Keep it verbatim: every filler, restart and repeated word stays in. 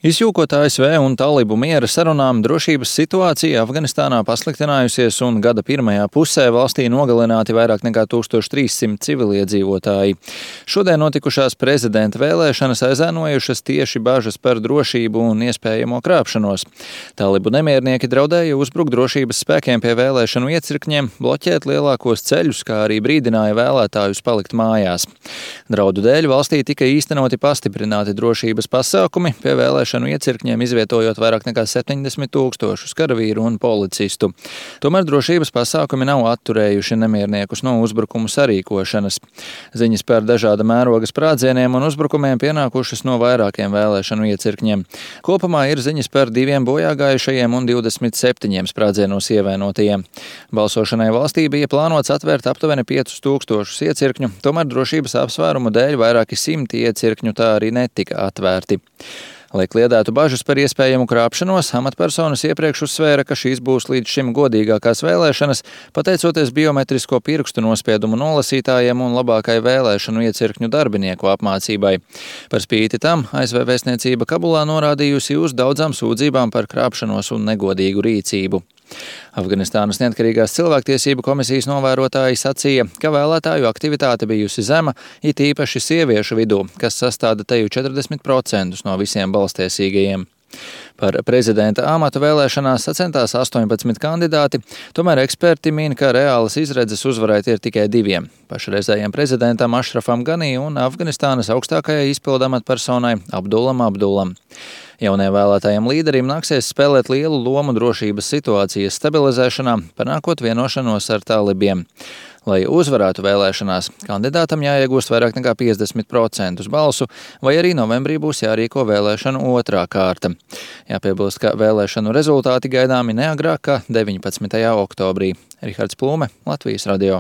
Izjūkot A S V un talibu miera sarunām, drošības situācija Afganistānā pasliktinājusies un gada pirmajā pusē valstī nogalināti vairāk nekā tūkstoš trīssimti civiliedzīvotāji. Šodien notikušās prezidenta vēlēšanas aizēnojušas tieši bažas par drošību un iespējamo krāpšanos. Talibu nemiernieki draudēja uzbrukt drošības spēkiem pie vēlēšanu iecirkņiem, bloķēt lielākos ceļus, kā arī brīdināja vēlētājus palikt mājās. Draudu dēļ valstī tika īstenoti pastiprināti drošības pasākumi, pie vēlēšanu iecirkņiem izvietojot vairāk nekā septiņdesmit tūkstošus karavīru un policistu. Tomēr drošības pasākumi nav atturējuši nemierniekus no uzbrukumu sarīkošanas. Ziņas par dažāda mēroga sprādzieniem un uzbrukumiem pienākušas no vairākiem vēlēšanu iecirkņiem. Kopumā ir ziņas par diviem bojāgājušajiem un divdesmit septiņiem sprādzienos ievainotajiem. Balsošanai valstī bija plānots atvērt aptuveni piecus tūkstošus iecirkņu, tomēr drošības apsvērumu dēļ vairāki simti iecirkņu tā arī netika atvērti. Lai kliedētu bažas par iespējamu krāpšanos, amatpersonas iepriekš uzsvēra, ka šīs būs līdz šim godīgākās vēlēšanas, pateicoties biometrisko pirkstu nospiedumu nolasītājiem un labākai vēlēšanu iecirkņu darbinieku apmācībai. Par spīti tam A S V vēstniecība Kabulā norādījusi uz daudzām sūdzībām par krāpšanos un negodīgu rīcību. Afganistānas neatkarīgās cilvēktiesību komisijas novērotāji sacīja, ka vēlētāju aktivitāte bijusi zema, it īpaši sieviešu vidū, kas sastāda teju četrdesmit procentus no visiem balstiesīgajiem. Par prezidenta amatu vēlēšanās sacentās astoņpadsmit kandidāti, tomēr eksperti min, ka reālas izredzes uzvarēt ir tikai diviem – pašreizējiem prezidentam Ašrafam Ganī un Afganistānas augstākajai izpildu amatpersonai Abdulam Abdulam. Jaunie vēlētājiem līderim nāksies spēlēt lielu lomu drošības situācijas stabilizēšanā, panākot vienošanos ar talibiem. Lai uzvarētu vēlēšanās, kandidātam jāiegūst vairāk nekā piecdesmit procentus balsu, vai arī novembrī būs jārīko vēlēšanu otrā kārta. Jāpiebilst, ka vēlēšanu rezultāti gaidāmi neagrāk kā deviņpadsmitajā oktobrī. Rihards Plūme, Latvijas radio.